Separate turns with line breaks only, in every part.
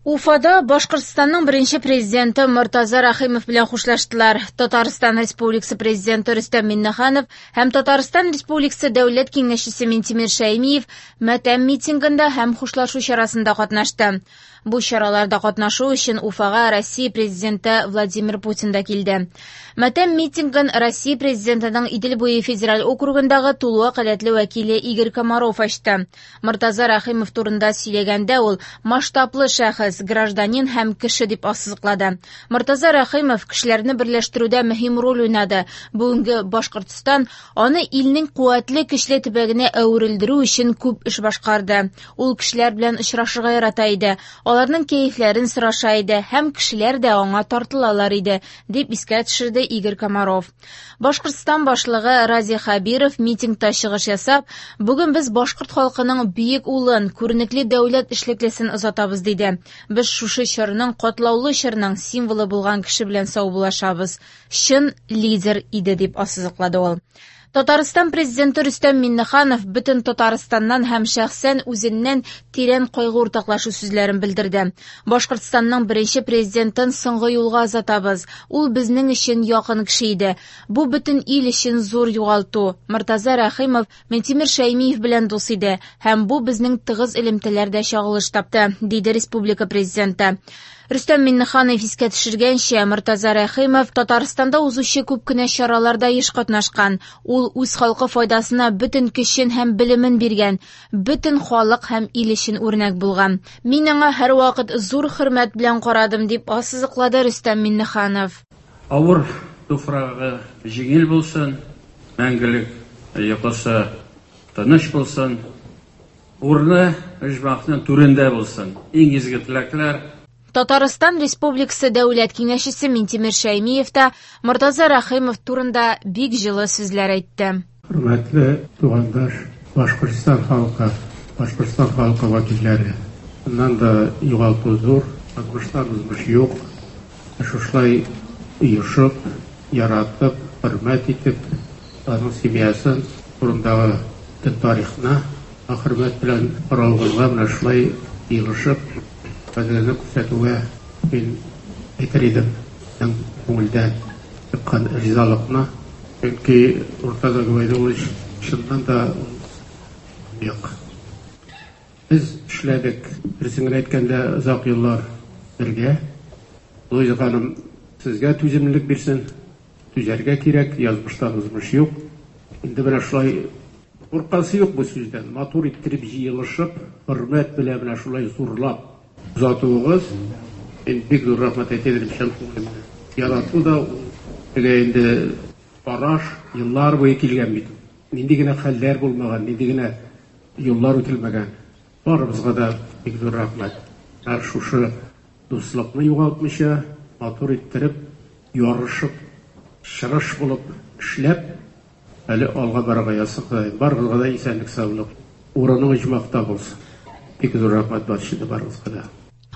Уфада Башкортстанның беренче президенты Мортаза Рәхимов белән хушлаштылар. Татарстан Республикасы президенты Рөстәм Миңнеханов һәм Татарстан Республикасы Дәүләт Киңәшчесе Минтимер Шәймиев матәм митингында һәм хушлашу чарасында катнашты. Бу чараларда катнашу өчен Уфага Россия президенты Владимир Путин да килде. Матәм митингын Россия президентының Идел буе федераль округындагы тулы вәкаләтле вәкиле Игорь Комаров ачты. Мортаза Рәхимов турында сөйләгәндә ул масштаблы шәхес, гражданин һәм кеше дип ассызыклады. Мортаза Рәхимов кешеләрне берләштерүдә мөһим роль уйнады. Бүгенге Башкортстан аны илнең куәтле көчле төбәгенә әверелдерү өчен күп эш башкарды. Ул кешеләр белән очрашырга ярата иде, аларның кәефләрен сораша иде һәм кешеләр дә аңа тартылалар иде, дип искә төшерде Игорь Комаров. Башкортстан башлыгы Радий Хәбиров митингта чыгыш ясап, бүген без башкорт халкының бөек улын, күренекле дәүләт эшлеклесен озатабыз, диде. Без шушы чорның, катлаулы чорның символы булган кеше белән саубуллашабыз. Чын лидер иде, дип ассызыклады ул. Татарстан президенты Рөстәм Миңнеханов бөтен Татарстаннан һәм шәхсән үзеннән тирән кайгы уртаклашу сүзләрен белдерде. Башкортстанның беренче президентын соңгы юлга озатабыз. Ул безнең өчен якын кеше иде. Бу бөтен ил өчен зур югалту. Мортаза Рәхимов Минтимер Шәймиев белән дус иде һәм бу безнең тыгыз элемтәләрдә чагылыш тапты, диде республика президенты. Рөстәм Миңнеханов искә төшергәнчә, Мортаза Рәхимов Татарстанда узучы күп кенә чараларда еш катнашкан. Ул үз халкы файдасына бөтен көчен һәм белемен биргән, бөтен халык һәм ил өчен үрнәк булган. Мин аңа һәрвакыт зур хөрмәт белән карадым, дип ассызыклады Рөстәм Миңнеханов.
Авыр туфрагы җиңел булсын, мәңгелек йокысы тыныч булсын, урыны оҗмахның түрендә булсын. Иң изге теләкләр.
Татарстан Республикасы Дәүләт Киңәшчесе Минтимер Шәймиев та Мортаза Рәхимов турында бик җылы сүзләр әйтте.
Хөрмәтле тугандаш Башкортстан халкы, Башкортстан халкы вәкилләре, моннан да югалту зур, язмыштан узмыш юк. Шушылай оешып, яратып, хөрмәт итеп, аның семьясын турындагы бөтен тарихны хөрмәт белән каралганга менә шулай җыелышып, кадерле күрсәтүгә мин әйтер идем, чын күңелдән чыккан ризалыкны. Чөнки Мортаза Гобәйдуллович чыннан да ул юк. Без эшләдек, дөресен генә әйткәндә, озак еллар бергә. Луиза ханым, сезгә түземлелек бирсен. Түзәргә кирәк, язмыштан узмыш юк. Инде менә шулай куркасы юк бу сүздән. Матур иттереп җыелышып, хөрмәт белән менә шулай зурлап озатуыгыз, мин бик зур рәхмәт әйтә идем чын күңелемнән. Ярату да ул теге инде караш еллар буе килгән бит. Нинди генә хәлләр булмаган, нинди генә юллар үтелмәгән. Барыбызга да бик зур рәхмәт. Һәр шушы дуслыкны югалтмыйча, матур иттереп, ярышып, чырыш булып эшләп, әле алга барырга язсын Ходаем. Барыгызга да исәнлек, саулык. Урының оҗмахта булсын. Бик зур рәхмәт барча барыгызга да.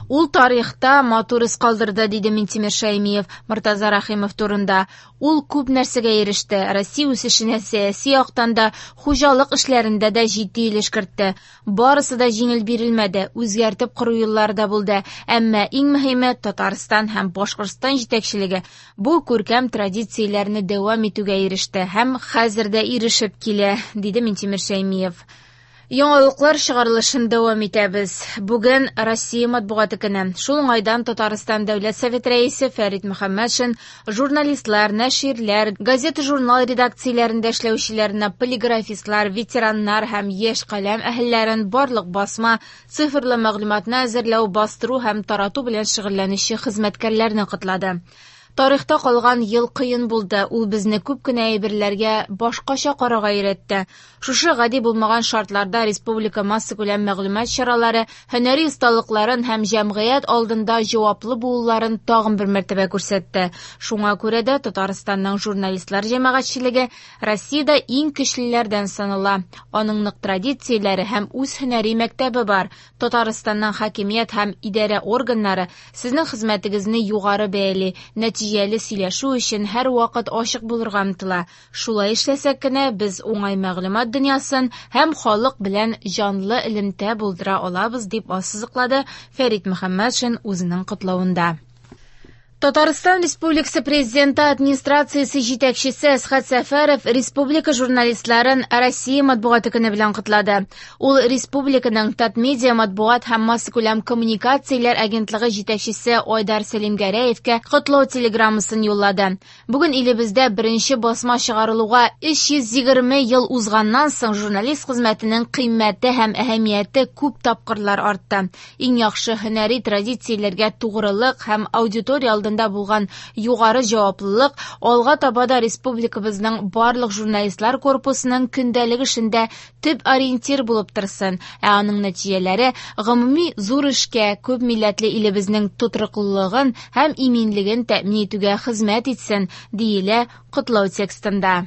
Ул тарихта матур эз калдырды, диде Минтимер Шәймиев Мортаза Рәхимов турында. Ул күп нәрсәгә иреште. Россия үсешенә сәяси яктан да, хуҗалык эшләрендә дә җитди өлеш кертте. Барысы да җиңел бирелмәде, үзгәртеп кору еллары да булды. Әмма иң мөһиме Татарстан һәм Башкортстан җитәкчелеге бу күркәм традицияләрне дәвам итүгә иреште һәм хәзер дә ирешеп килә, диде Минтимер Шәймиев. Яңалыклар чыгарылышын дәвам итәбез. Бүген Россия матбугаты көне. Шул уңайдан Татарстан Дәүләт Советы рәисе Фәрит Мөхәммәтшин журналистлар, нәширләр, газета-журнал редакцияләрендә эшләүчеләрне, полиграфистлар, ветераннар һәм яшь каләм әһелләрен барлык басма, цифрлы мәгълүматны әзерләү, бастыру һәм тарату белән шөгыльләнүче хезмәткәрләрне котлады. Тарихта калган ел кыен булды. Ул безне күп кенә әйберләргә башкача карарга өйрәтте. Шушы гади булмаган шартларда республика массакүләм мәгълүмат чаралары һөнәри осталыкларын һәм җәмгыять алдында җаваплы булуларын тагын бер мәртәбә күрсәтте. Шуңа күрә дә Татарстанның журналистлар җәмәгатьчелеге Россиядә иң көчлеләрдән санала. Аның нык традицияләре һәм үз һөнәри мәктәбе бар. Татарстанның хакимият һәм идарә органнары сезнең хезмәтегезне югары бәяли. Нәтиҗә нәтиҗәле сөйләшү өчен һәрвакыт ачык булырга омтыла. Шулай эшләсәк кенә без уңай мәгълүмат дөньясын һәм халык белән җанлы элемтә булдыра алабыз, дип ассызыклады Фәрит Мөхәммәтшин үзенең котлавында. Татарстан Республикасы Президенты администрациясе җитәкчесе Әсхәт Сәфәров республика журналистларын Россия матбугаты көне белән котлады. Ул республиканың Татмедиа матбугат һәм массакүләм коммуникацияләр агентлыгы җитәкчесе Айдар Сәлимгәрәевкә котлау телеграммасын юллады. Бүген илебездә беренче басма чыгарылуга 320 ел узганнан соң журналист хезмәтенең кыйммәте һәм әһәмияте күп тапкырлар артты. Иң яхшы һөнәри традицияләргә тугрылык һәм аудитория алдында булган югары җаваплылык алга таба да республикабызның барлык журналистлар корпусының көндәлек эшендә төп ориентир булып торсын, ә аның нәтиҗәләре гомуми зур эшкә, күп милләтле илебезнең тотрыклылыгын һәм иминлеген тәэмин итүгә хезмәт итсен, диелә котлау текстында.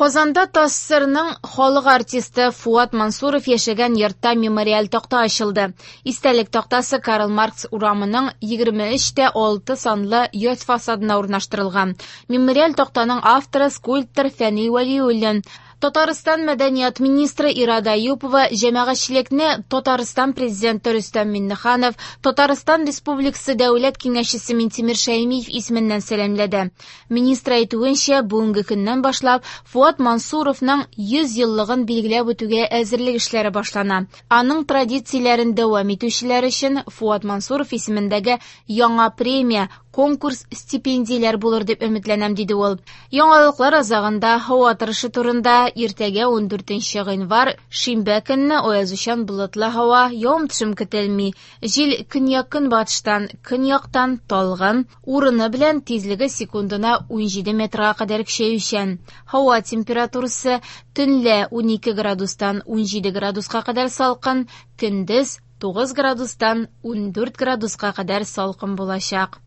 Казанда ТАССРның халык артисты Фуат Мансуров яшәгән йортта мемориаль такта ачылды. Истәлек тактасы Карл Маркс урамының 23-6 санлы йорт фасадына урнаштырылган. Мемориаль тактаның авторы скульптор Фәнил Вәлиуллин. Татарстан мәдәният министры Ирада Әюпова җәмәгатьчелекне Татарстан президенты Рөстәм Миңнеханов, Татарстан Республикасы Дәүләт Киңәшчесе Минтимер Шәймиев исеменнән сәламләде. Министр әйтүенчә, бүгенге көннән башлап Фуат Мансуровның 100 еллыгын билгеләп үтүгә әзерлек эшләре башлана. Аның традицияләрен дәвам итүчеләр өчен Фуат Мансуров исемендәге яңа премия, конкурс, стипендияләр булыр дип өметләнәм, диде ул. Яңалыклар азагында һава торышы турында. Иртәгә 14 гыйнвар, шимбә көнне аязучан болытлы һава, явым-төшем көтелми. Җил көньяк-көнбатыштан, көньяктан талгын, урыны белән тизлеге секундына 17 метрга кадәр көчәючән. Һава температурасы төнлә 12 градустан 17 градуска кадәр салкын, көндез 9 градустан 14 градуска кадәр салкын булачак.